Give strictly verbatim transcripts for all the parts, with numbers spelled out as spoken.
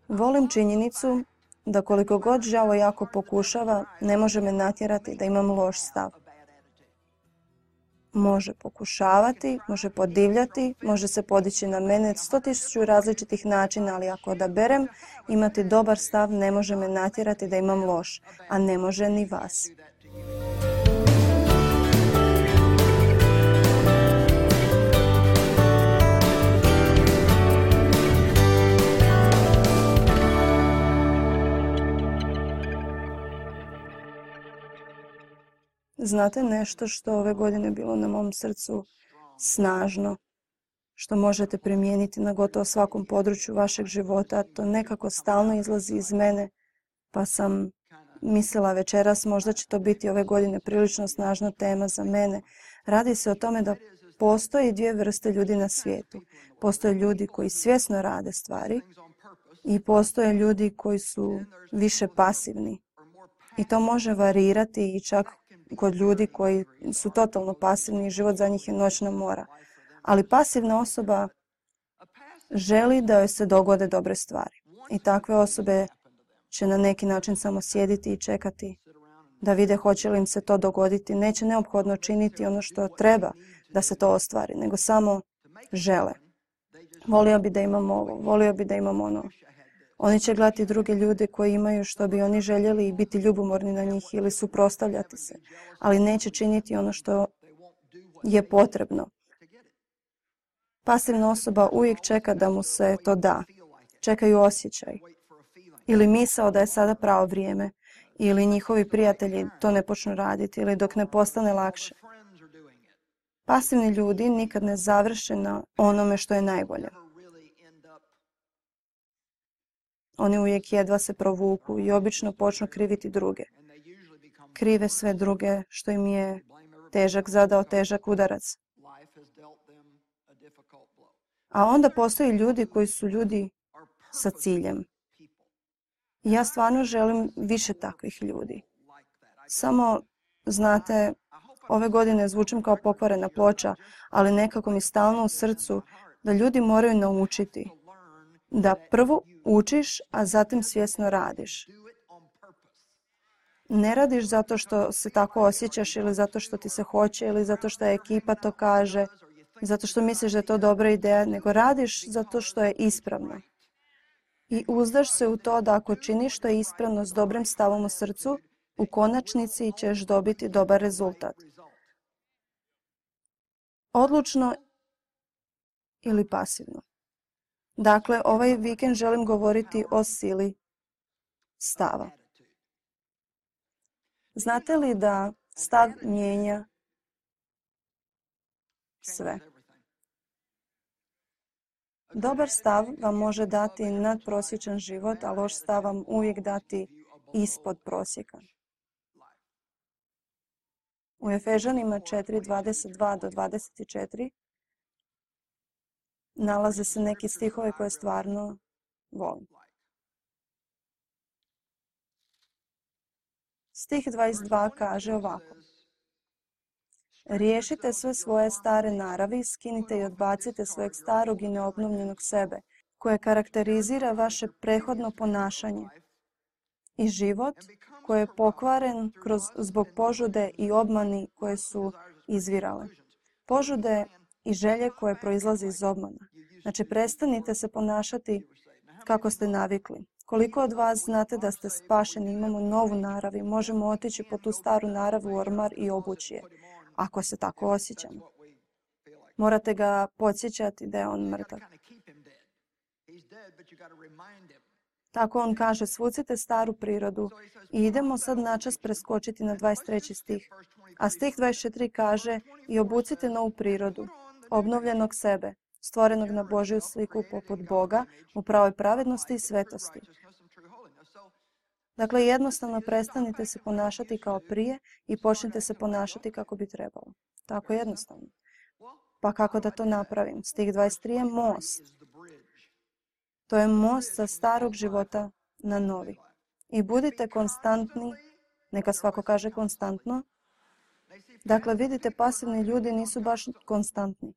Volim činjenicu da koliko god žao jako pokušava, ne može me natjerati da imam loš stav. Može pokušavati, može podivljati, može se podići na mene sto tisuću različitih načina, ali ako odaberem imati dobar stav, ne može me natjerati da imam loš, a ne može ni vas. Znate nešto što ove godine bilo na mom srcu snažno, što možete primijeniti na gotovo svakom području vašeg života, to nekako stalno izlazi iz mene, pa sam mislila večeras možda će to biti ove godine prilično snažna tema za mene. Radi se o tome da postoji dvije vrste ljudi na svijetu. Postoje ljudi koji svjesno rade stvari i postoje ljudi koji su više pasivni. I to može varirati i čak kod ljudi koji su totalno pasivni i život za njih je noćna mora. Ali pasivna osoba želi da joj se dogode dobre stvari. I takve osobe će na neki način samo sjediti i čekati da vide hoće li im se to dogoditi. Neće neophodno činiti ono što treba da se to ostvari, nego samo žele. Volio bi da imam ovo, volio bi da imam ono. Oni će gledati druge ljude koji imaju što bi oni željeli i biti ljubomorni na njih ili suprotstavljati se, ali neće činiti ono što je potrebno. Pasivna osoba uvijek čeka da mu se to da. Čekaju osjećaj. Ili misao da je sada pravo vrijeme. Ili njihovi prijatelji to ne počnu raditi ili dok ne postane lakše. Pasivni ljudi nikad ne završe na onome što je najbolje. Oni uvijek jedva se provuku i obično počnu kriviti druge. Krive sve druge što im je težak zadao težak udarac. A onda postoje ljudi koji su ljudi sa ciljem. I ja stvarno želim više takvih ljudi. Samo, znate, ove godine zvučim kao pokvarena ploča, ali nekako mi stalno u srcu da ljudi moraju naučiti da prvo učiš, a zatim svjesno radiš. Ne radiš zato što se tako osjećaš ili zato što ti se hoće ili zato što je ekipa to kaže, zato što misliš da je to dobra ideja, nego radiš zato što je ispravno. I uzdaš se u to da ako činiš što je ispravno s dobrim stavom u srcu, u konačnici ćeš dobiti dobar rezultat. Odlučno ili pasivno. Dakle, ovaj vikend želim govoriti o sili stava. Znate li da stav mijenja sve? Dobar stav vam može dati nadprosječan život, a loš stav vam uvijek dati ispod prosjeka. U Efežanima četiri, dvadeset dva do dvadeset četiri nalaze se neki stihovi koje stvarno volim. Stih dvadeset dva kaže ovako. Riješite sve svoje stare naravi, skinite i odbacite svojeg starog i neobnovljenog sebe, koje karakterizira vaše prethodno ponašanje i život koji je pokvaren kroz, zbog požude i obmani koje su izvirale. Požude i želje koje proizlaze iz obmana. Znači, prestanite se ponašati kako ste navikli. Koliko od vas znate da ste spašeni, imamo novu narav i možemo otići po tu staru narav u ormar i obući je, ako se tako osjećamo. Morate ga podsjećati da je on mrtav. Tako on kaže, svucite staru prirodu i idemo sad načas preskočiti na dvadeset treći stih. A stih dvadeset četiri kaže i obucite novu prirodu, obnovljenog sebe, stvorenog na Božju sliku poput Boga, u pravoj pravednosti i svetosti. Dakle, jednostavno prestanite se ponašati kao prije i počnite se ponašati kako bi trebalo. Tako jednostavno. Pa kako da to napravim? Stih dvadeset tri je most. To je most sa starog života na novi. I budite konstantni, neka svako kaže konstantno. Dakle, vidite, pasivni ljudi nisu baš konstantni.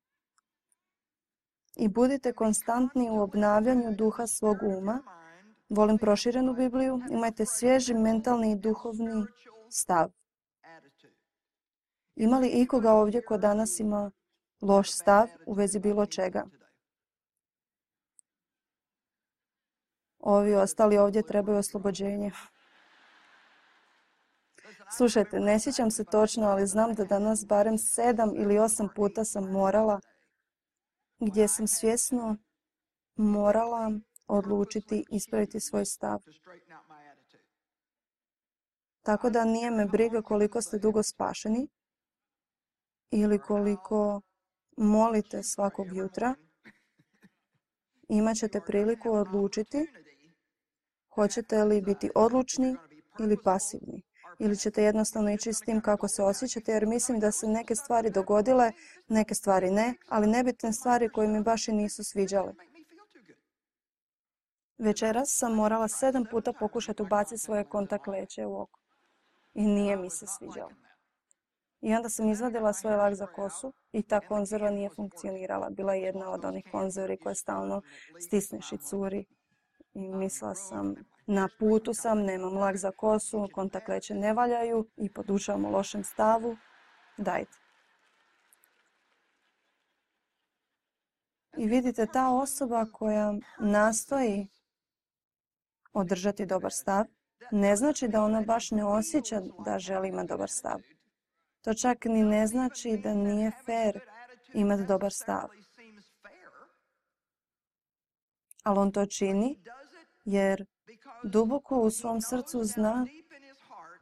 I budite konstantni u obnavljanju duha svog uma Volim proširenu Bibliju. Imajte svježi mentalni i duhovni stav. Ima li ikoga ovdje ko danas ima loš stav u vezi bilo čega? Ovi ostali ovdje trebaju oslobođenje. Slušajte, ne sjećam se točno, ali znam da danas barem sedam ili osam puta sam morala, gdje sam svjesno morala odlučiti ispraviti svoj stav. Tako da nije me briga koliko ste dugo spašeni ili koliko molite svakog jutra. Imat ćete priliku odlučiti hoćete li biti odlučni ili pasivni. Ili ćete jednostavno ići s tim kako se osjećate, jer mislim da se neke stvari dogodile, neke stvari ne, ali nebitne stvari koje mi baš i nisu sviđale. Večeras sam morala sedam puta pokušati ubaciti svoje kontakt leće u oko. I nije mi se sviđalo. I onda sam izvadila svoj lak za kosu i ta konzerva nije funkcionirala. Bila je jedna od onih konzervi koje stalno stisneš i curi. I mislila sam, na putu sam, nemam lak za kosu, kontakt leće ne valjaju i podučavam u lošem stavu. Dajte. I vidite, ta osoba koja nastoji održati dobar stav, ne znači da ona baš ne osjeća da želi imati dobar stav. To čak ni ne znači da nije fair imati dobar stav. Ali on to čini jer duboko u svom srcu zna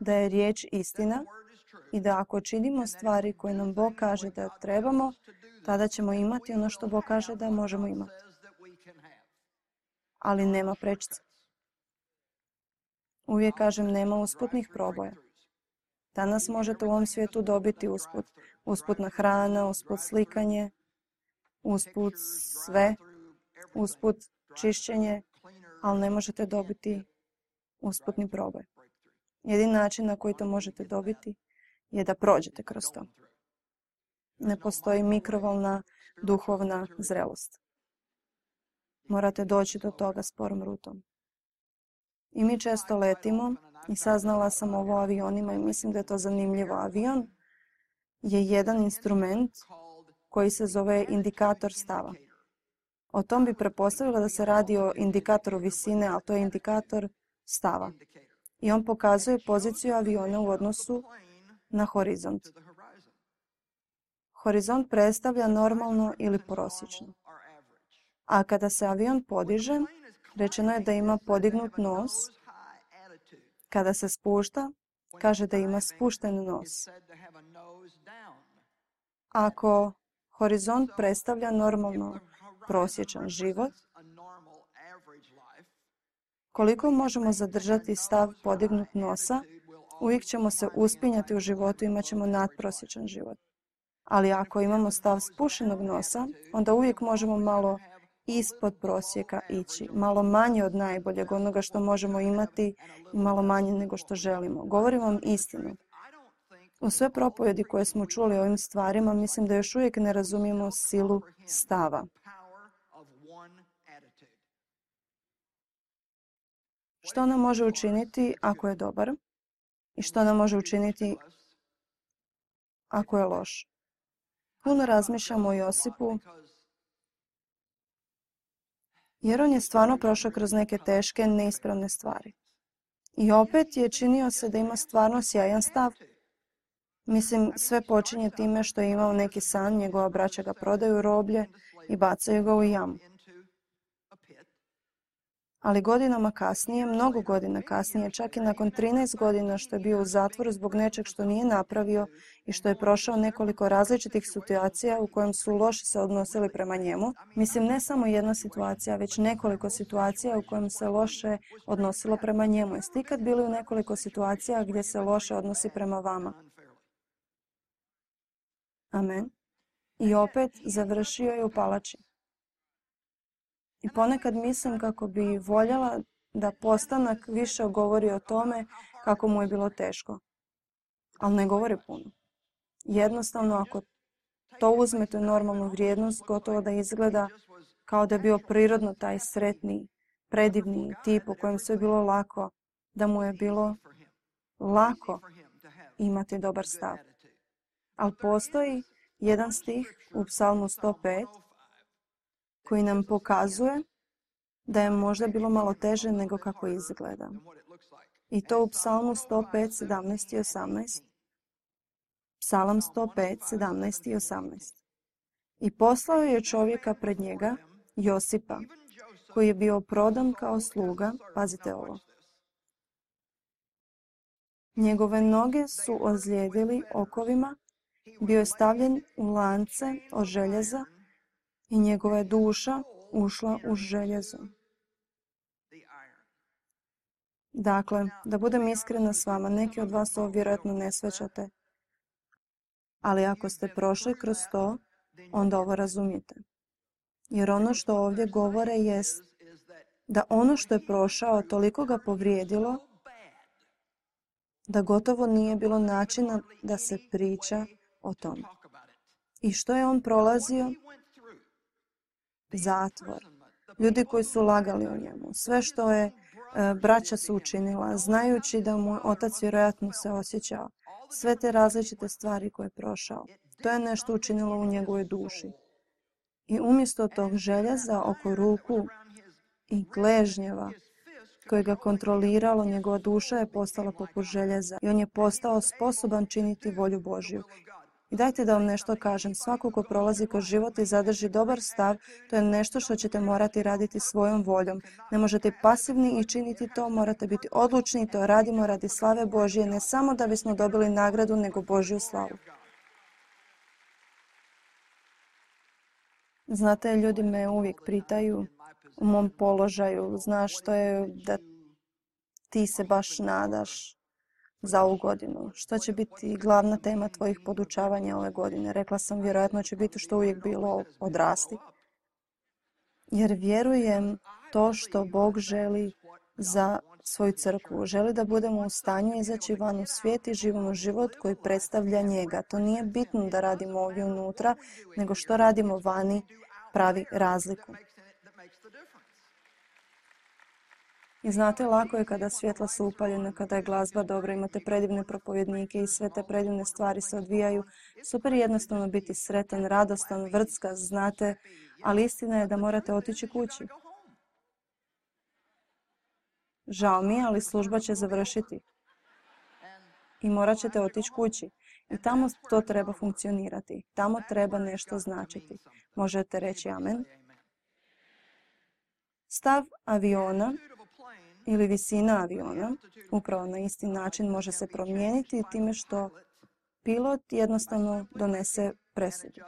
da je riječ istina i da ako činimo stvari koje nam Bog kaže da trebamo, tada ćemo imati ono što Bog kaže da možemo imati. Ali nema prečice. Uvijek kažem, nema usputnih proboja. Danas možete u ovom svijetu dobiti usput. Usputna hrana, usput slikanje, usput sve, usput čišćenje, ali ne možete dobiti usputni proboj. Jedini način na koji to možete dobiti je da prođete kroz to. Ne postoji mikrovalna duhovna zrelost. Morate doći do toga sporom rutom. I mi često letimo i saznala sam ovo o avionima i mislim da je to zanimljivo. Avion je jedan instrument koji se zove indikator stava. O tom bi pretpostavila da se radi o indikatoru visine, ali to je indikator stava. I on pokazuje poziciju aviona u odnosu na horizont. Horizont predstavlja normalno ili prosječno. A kada se avion podiže, rečeno je da ima podignut nos. Kada se spušta, kaže da ima spušten nos. Ako horizont predstavlja normalno prosječan život, koliko možemo zadržati stav podignut nosa, uvijek ćemo se uspinjati u životu, imat ćemo nadprosječan život. Ali ako imamo stav spušenog nosa, onda uvijek možemo malo ispod prosjeka ići, malo manje od najboljeg, onoga što možemo imati i malo manje nego što želimo. Govorim vam istinu. U sve propovjedi koje smo čuli o ovim stvarima, mislim da još uvijek ne razumijemo silu stava. Što nam može učiniti ako je dobar i što nam može učiniti ako je loš. Puno razmišljamo o Josipu, jer on je stvarno prošao kroz neke teške, neispravne stvari. I opet je činio se da ima stvarno sjajan stav. Mislim, sve počinje time što je imao neki san, njegova braća ga prodaju roblje i bacaju ga u jamu. Ali godinama kasnije, mnogo godina kasnije, čak i nakon trinaest godina što je bio u zatvoru zbog nečeg što nije napravio i što je prošao nekoliko različitih situacija u kojem su loše se odnosili prema njemu, mislim ne samo jedna situacija, već nekoliko situacija u kojem se loše odnosilo prema njemu. Jeste ikad bili u nekoliko situacija gdje se loše odnosi prema vama? Amen. I opet završio je u palači. I ponekad mislim kako bi voljela da postanak više govori o tome kako mu je bilo teško. Ali ne govori puno. Jednostavno, ako to uzmete normalnu vrijednost, gotovo da izgleda kao da je bio prirodno taj sretni, predivni tip u kojem sve bilo lako, da mu je bilo lako imati dobar stav. Ali postoji jedan stih u Psalmu sto pet koji nam pokazuje da je možda bilo malo teže nego kako izgleda. I to u Psalmu sto pet, sedamnaest i osamnaest. Psalam sto pet, sedamnaest i osamnaest. I poslao je čovjeka pred njega, Josipa, koji je bio prodan kao sluga, pazite ovo. Njegove noge su ozlijedili okovima, bio je stavljen u lance od željeza i njegova je duša ušla u željezo. Dakle, da budem iskrena s vama, neki od vas ovo vjerojatno ne shvaćate, ali ako ste prošli kroz to, onda ovo razumijete. Jer ono što ovdje govore jest da ono što je prošao toliko ga povrijedilo da gotovo nije bilo načina da se priča o tome. I što je on prolazio? Zatvor. Ljudi koji su lagali o njemu. Sve što je e, braća su učinila, znajući da mu otac vjerojatno se osjećao. Sve te različite stvari koje je prošao. To je nešto učinilo u njegovoj duši. I umjesto tog željeza oko ruku i gležnjeva koje ga kontroliralo, njegova duša je postala poput željeza i on je postao sposoban činiti volju Božju. I dajte da vam nešto kažem, svako ko prolazi kroz život i zadrži dobar stav, to je nešto što ćete morati raditi svojom voljom. Ne možete pasivni i činiti to, morate biti odlučni i to radimo radi slave Božje, ne samo da bismo dobili nagradu, nego Božju slavu. Znate, ljudi me uvijek pitaju u mom položaju, znaš što je da ti se baš nadaš za ovu godinu? Što će biti glavna tema tvojih podučavanja ove godine? Rekla sam, vjerojatno će biti što uvijek bilo, odrasti. Jer vjerujem to što Bog želi za svoju crkvu. Želi da budemo u stanju izaći van u svijet i živimo život koji predstavlja njega. To nije bitno da radimo ovdje unutra, nego što radimo vani pravi razliku. I znate, lako je kada svjetla su upaljena, kada je glazba dobra, imate predivne propovjednike i sve te predivne stvari se odvijaju. Super je jednostavno biti sretan, radostan, vrcka, znate, ali istina je da morate otići kući. Žao mi je, ali služba će završiti. I morat ćete otići kući. I tamo to treba funkcionirati. Tamo treba nešto značiti. Možete reći amen. Stav aviona ili visina aviona upravo na isti način može se promijeniti time što pilot jednostavno donese presudu.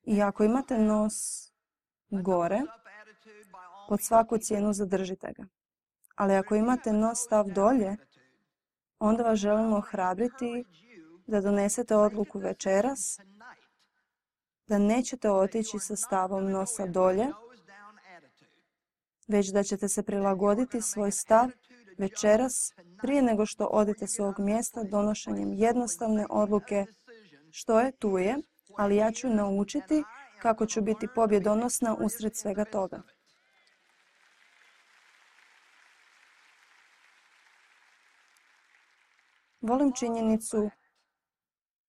I ako imate nos gore, pod svaku cijenu zadržite ga. Ali ako imate nos stav dolje, onda vas želimo ohrabriti da donesete odluku večeras, da nećete otići sa stavom nosa dolje, već da ćete se prilagoditi svoj stav večeras prije nego što odete s ovog mjesta donošenjem jednostavne odluke. Što je, tu je, ali ja ću naučiti kako ću biti pobjedonosna usred svega toga. Volim činjenicu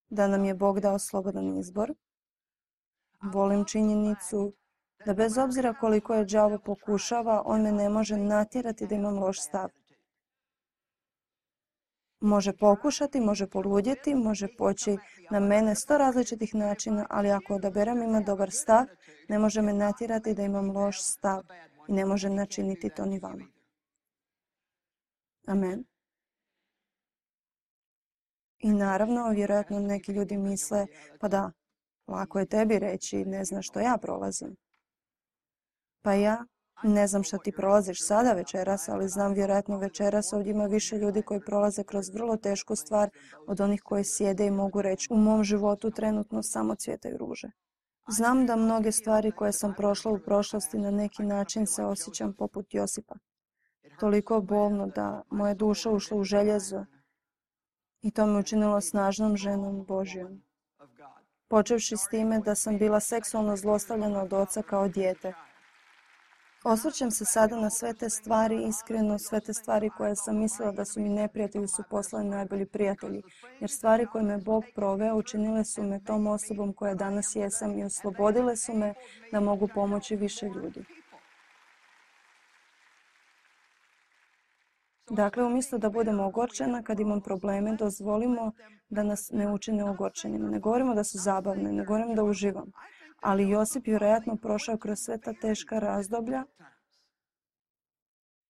da nam je Bog dao slobodan izbor. Volim činjenicu da bez obzira koliko je đavo pokušava, on me ne može natjerati da imam loš stav. Može pokušati, može poludjeti, može poći na mene sto različitih načina, ali ako odaberem ima dobar stav, ne može me natjerati da imam loš stav i ne može načiniti to ni vama. Amen. I naravno, vjerojatno neki ljudi misle, pa da, lako je tebi reći, ne znaš što ja prolazim. Pa ja ne znam što ti prolaziš sada večeras, ali znam vjerojatno večeras ovdje ima više ljudi koji prolaze kroz vrlo tešku stvar od onih koji sjede i mogu reći, u mom životu trenutno samo cvjetaju ruže. Znam da mnoge stvari koje sam prošla u prošlosti na neki način se osjećam poput Josipa. Toliko bolno da moja duša ušla u željezo i to me učinilo snažnom ženom Božjom. Počevši s time da sam bila seksualno zlostavljana od oca kao dijete. Osvrćem se sada na sve te stvari, iskreno sve te stvari koje sam mislila da su mi neprijatelji su postali najbolji prijatelji. Jer stvari koje me Bog proveo učinile su me tom osobom koja danas jesam i oslobodile su me da mogu pomoći više ljudi. Dakle, umjesto da budemo ogorčena kad imam probleme, dozvolimo da nas ne učine ogorčenima. Ne govorimo da su zabavne, ne govorim da uživam. Ali Josip vjerojatno prošao kroz sve ta teška razdoblja.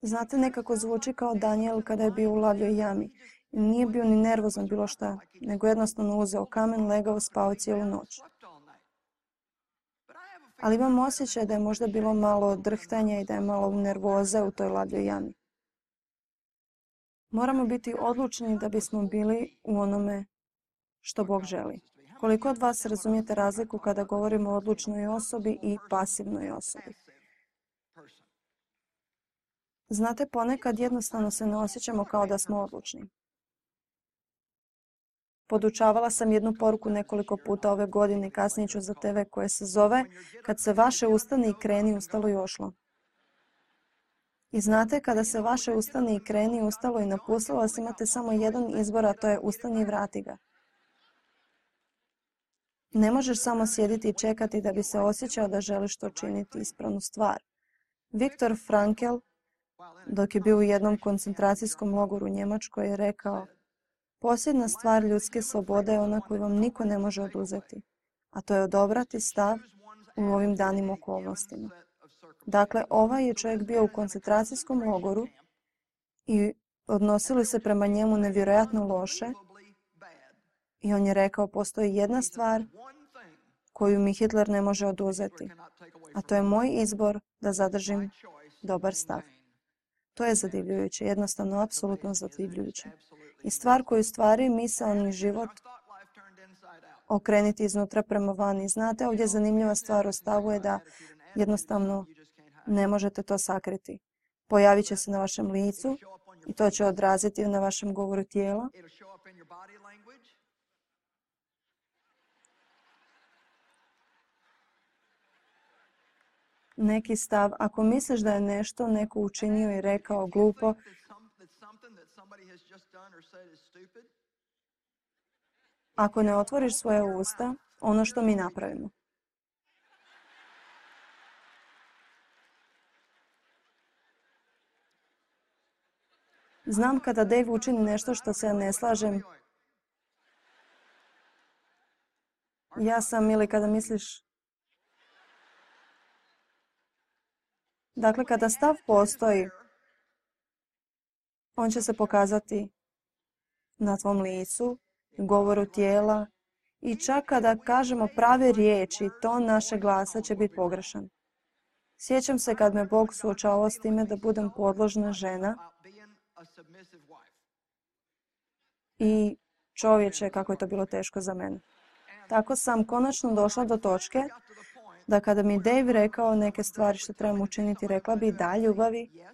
Znate, nekako zvuči kao Danijel kada je bio u lavljoj jami. Nije bio ni nervozan bilo šta, nego jednostavno uzeo kamen, legao, spao cijelu noć. Ali imam osjećaj da je možda bilo malo drhtanja i da je malo nervoza u toj lavljoj jami. Moramo biti odlučni da bismo bili u onome što Bog želi. Koliko od vas razumijete razliku kada govorimo o odlučnoj osobi i pasivnoj osobi? Znate, ponekad jednostavno se ne osjećamo kao da smo odlučni. Podučavala sam jednu poruku nekoliko puta ove godine i kasnije ću za te ve koje se zove "Kad se vaše ustane i kreni, ustalo i ošlo". I znate, kada se vaše ustane i kreni, ustalo i napustilo vas, imate samo jedan izbor, a to je ustani i vrati ga. Ne možeš samo sjediti i čekati da bi se osjećao da želiš to činiti ispravnu stvar. Viktor Frankl, dok je bio u jednom koncentracijskom logoru u Njemačkoj, je rekao: "Posljedna stvar ljudske slobode je ona koju vam niko ne može oduzeti, a to je odabrati stav u ovim danim okolnostima." Dakle, ovaj je čovjek bio u koncentracijskom logoru i odnosili se prema njemu nevjerojatno loše. I on je rekao, postoji jedna stvar koju mi Hitler ne može oduzeti, a to je moj izbor da zadržim dobar stav. To je zadivljujuće, jednostavno apsolutno zadivljujuće. I stvar koju stvari misaoni život okreniti iznutra prema vani. Znate, ovdje zanimljiva stvar o stavu je da jednostavno ne možete to sakriti. Pojavit će se na vašem licu i to će odraziti na vašem govoru tijela. Neki stav, ako misliš da je nešto neko učinio i rekao glupo, ako ne otvoriš svoje usta, ono što mi napravimo. Znam kada Dave učini nešto što se ja ne slažem, ja sam, ili kada misliš... Dakle, kada stav postoji, on će se pokazati na tvom licu, govoru tijela i čak kada kažemo prave riječi, ton naše glasa će biti pogrešan. Sjećam se kad me Bog suočavao s time da budem podložna žena i čovječe, kako je to bilo teško za mene. Tako sam konačno došla do točke da kada mi Dave rekao neke stvari što trebam učiniti, rekla bi da, ljubavi.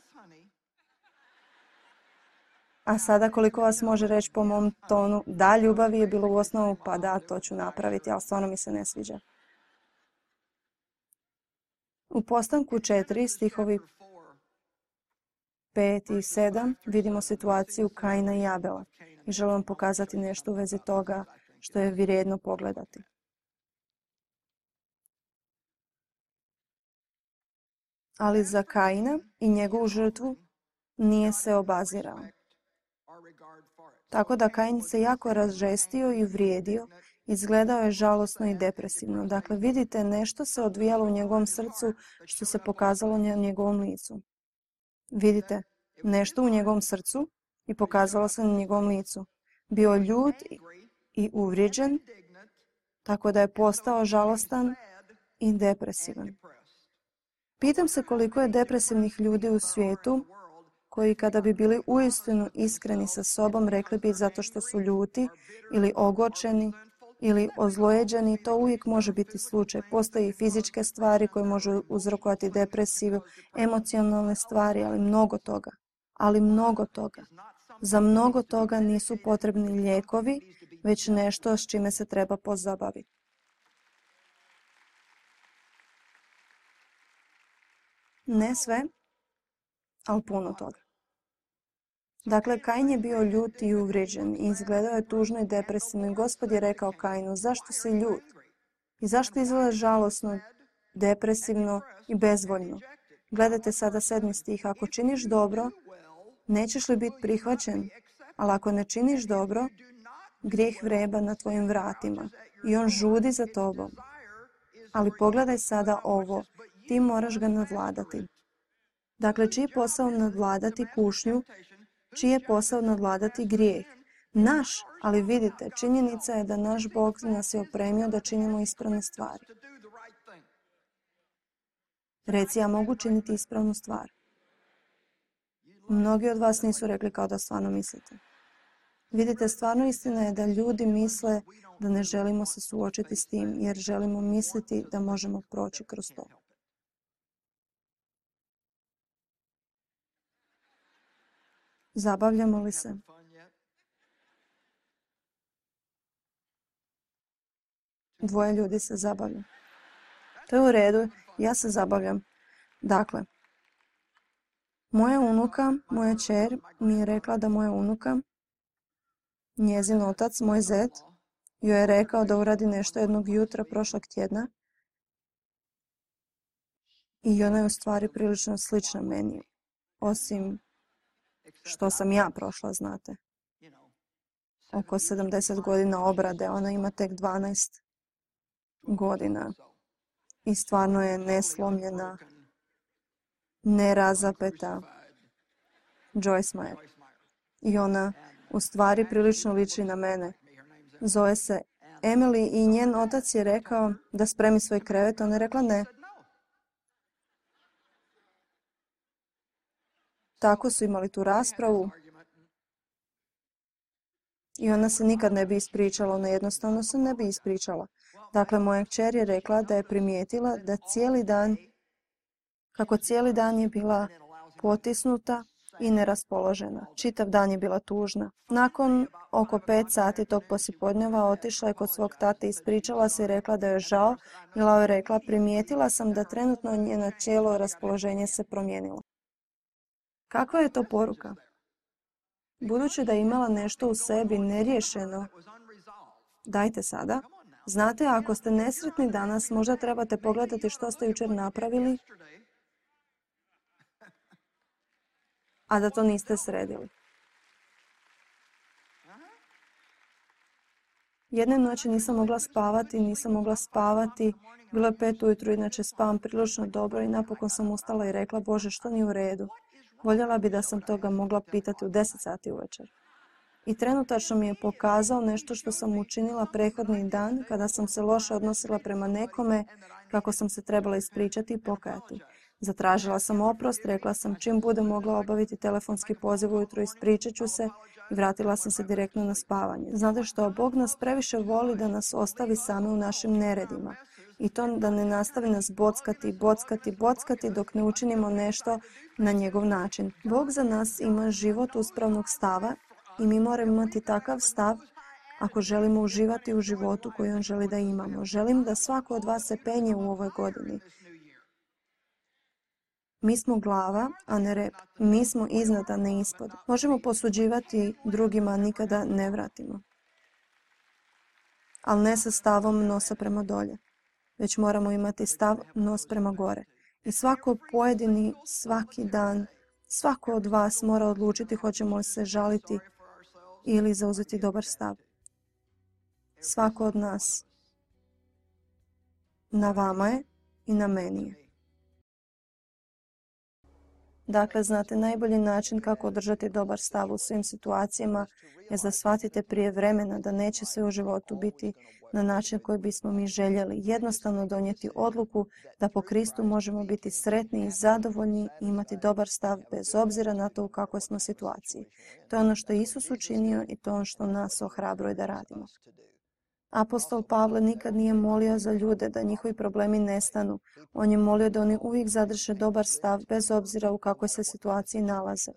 A sada koliko vas može reći po mom tonu, da, ljubavi je bilo u osnovu, pa da, to ću napraviti, ali stvarno mi se ne sviđa. U postanku četiri, stihovi pet i sedam, vidimo situaciju Kaina i Abela. I želim vam pokazati nešto u vezi toga što je vrijedno pogledati. Ali za Kaina i njegovu žrtvu nije se obazirao. Tako da Kain se jako razžestio i uvrijedio, izgledao je žalosno i depresivno. Dakle, vidite, nešto se odvijalo u njegovom srcu što se pokazalo na njegovom licu. Vidite, nešto u njegovom srcu i pokazalo se na njegovom licu. Bio ljut i uvrijeđen, tako da je postao žalostan i depresivan. Pitam se koliko je depresivnih ljudi u svijetu koji kada bi bili uistinu iskreni sa sobom rekli bi zato što su ljuti ili ogorčeni ili ozlojeđeni, to uvijek može biti slučaj. Postoje i fizičke stvari koje možu uzrokovati depresiju, emocionalne stvari, ali mnogo toga. Ali mnogo toga. Za mnogo toga nisu potrebni lijekovi, već nešto s čime se treba pozabaviti. Ne sve, ali puno toga. Dakle, Kain je bio ljut i uvrijeđen i izgledao je tužno i depresivno i Gospod je rekao Kainu, zašto si ljut? I zašto izgleda žalosno, depresivno i bezvoljno? Gledajte sada sedmi stih, ako činiš dobro, nećeš li biti prihvaćen? Ali ako ne činiš dobro, grijeh vreba na tvojim vratima i on žudi za tobom. Ali pogledaj sada ovo, ti moraš ga nadvladati. Dakle, čiji je posao nadvladati kušnju, čiji je posao nadvladati grijeh? Naš, ali vidite, činjenica je da naš Bog nas je opremio da činimo ispravne stvari. Reci, ja mogu činiti ispravnu stvar. Mnogi od vas nisu rekli kao da stvarno mislite. Vidite, stvarno istina je da ljudi misle da ne želimo se suočiti s tim, jer želimo misliti da možemo proći kroz to. Zabavljamo li se? Dvoje ljudi se zabavlja. To je u redu, ja se zabavljam. Dakle, moja unuka, moja kćer mi je rekla da moja unuka, njezin otac, moj zet, joj je rekao da uradi nešto jednog jutra prošlog tjedna i ona je u stvari prilično slična meni, osim što sam ja prošla, znate. Oko sedamdeset godina obrade, ona ima tek dvanaest godina i stvarno je neslomljena, nerazapeta Joyce Meyer. I ona u stvari prilično liči na mene. Zove se Emily i njen otac je rekao da spremi svoj krevet. Ona je rekla ne. Tako su imali tu raspravu i ona se nikad ne bi ispričala. Ona jednostavno se ne bi ispričala. Dakle, moja kćer je rekla da je primijetila da cijeli dan, kako cijeli dan je bila potisnuta i neraspoložena. Čitav dan je bila tužna. Nakon oko pet sati tog poslijepodneva otišla je kod svog tate, ispričala se i rekla da je žao. Mila je rekla, primijetila sam da trenutno njeno cijelo raspoloženje se promijenilo. Kakva je to poruka? Budući da je imala nešto u sebi neriješeno, dajte sada. Znate, ako ste nesretni danas, možda trebate pogledati što ste jučer napravili, a da to niste sredili. Jedne noći nisam mogla spavati, nisam mogla spavati. Bilo je pet ujutro, inače spavam prilično dobro i napokon sam ustala i rekla, Bože, što nije u redu? Voljela bi da sam toga mogla pitati u deset sati uvečer. I trenutačno mi je pokazao nešto što sam učinila prethodni dan kada sam se loše odnosila prema nekome, kako sam se trebala ispričati i pokajati. Zatražila sam oprost, rekla sam čim budem mogla obaviti telefonski poziv ujutro, ispričat ću se i vratila sam se direktno na spavanje. Znate što, Bog nas previše voli da nas ostavi same u našim neredima. I to da ne nastavi nas bockati, bockati, bockati dok ne učinimo nešto na njegov način. Bog za nas ima život uspravnog stava i mi moramo imati takav stav ako želimo uživati u životu koji on želi da imamo. Želim da svako od vas se penje u ovoj godini. Mi smo glava, a ne rep. Mi smo iznad, a ne ispod. Možemo posuđivati drugima, nikada ne vratimo. Ali ne sa stavom nosa prema dolje. Već moramo imati stav nos prema gore. I svako pojedini, svaki dan, svako od vas mora odlučiti hoćemo li se žaliti ili zauzeti dobar stav. Svako od nas. Na vama je i na meni je. Dakle, znate, najbolji način kako održati dobar stav u svim situacijama je da shvatite prije vremena da neće sve u životu biti na način koji bismo mi željeli. Jednostavno donijeti odluku da po Kristu možemo biti sretni i zadovoljni i imati dobar stav bez obzira na to u kakvoj smo situaciji. To je ono što je Isus učinio i to je ono što nas ohrabruje da radimo. Apostol Pavle nikad nije molio za ljude da njihovi problemi nestanu. On je molio da oni uvijek zadrže dobar stav bez obzira u kakvoj se situaciji nalaze.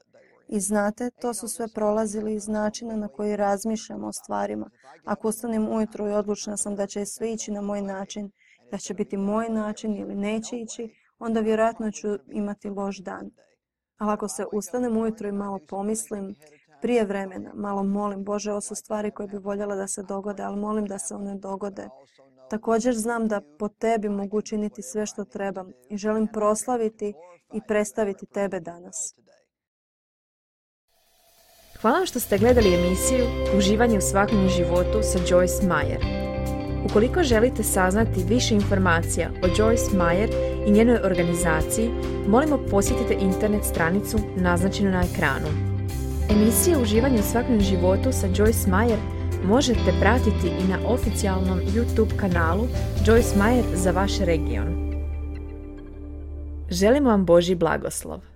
I znate, to su sve prolazili iz načina na koji razmišljamo o stvarima. Ako ustanem ujutro i odlučna sam da će sve ići na moj način, da će biti moj način ili neće ići, onda vjerojatno ću imati loš dan. Ali ako se ustanem ujutro i malo pomislim, prije vremena, malo molim, Bože, ovo su stvari koje bi voljela da se dogode, ali molim da se one dogode. Također znam da po tebi mogu učiniti sve što trebam i želim proslaviti i predstaviti tebe danas. Hvala vam što ste gledali emisiju Uživanje u svakodnevnom životu sa Joyce Meyer. Ukoliko želite saznati više informacija o Joyce Meyer i njenoj organizaciji, molimo posjetite internet stranicu naznačenu na ekranu. Emisije Uživanje u svakodnevnom životu sa Joyce Meyer možete pratiti i na oficijalnom YouTube kanalu Joyce Meyer za vaš region. Želimo vam Božji blagoslov.